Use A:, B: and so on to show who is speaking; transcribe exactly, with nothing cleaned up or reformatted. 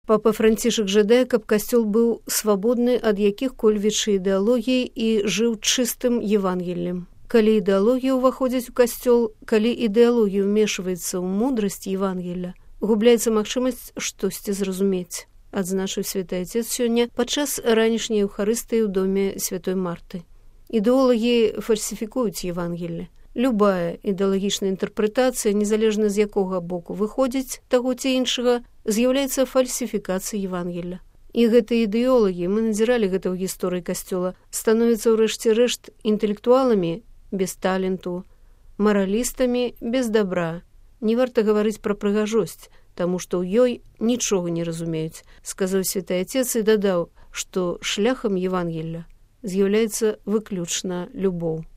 A: Папа Францішак жадае, каб касцёл быў свабодны ад якіх-кольвіч ідэалогій і жыў чыстым Евангеллем. Калі ідэалогія ўваходзіць у касцёл, калі ідэалогія ўмешваецца ў мудрасць Евангелля, губляецца магчымасць штосьці зразумець, адзначыў святы Отец сёння падчас ранішняй Еўхарыстыі ў доме святой Марты. Ідэолагі фальсіфікуюць Евангелле. Любая ідэалагічная інтэрпрэтацыя, незалежна з якога боку выходзіць таго ці іншага, з'яўляецца фальсіфікацыяй Евангелля. І гэтыя ідэолагі, мы назіралі гэта ў гісторыі касцёла, становяцца ў рэшце рэшт інтэлектуаламі без таленту, маралістамі без добра. Не варта гаварыць пра прыгажосць, таму што ў ёй нічога не разумеюць, сказаў святы Отец і дадаў, што шляхам Евангелля з'яўляецца выключна любоў.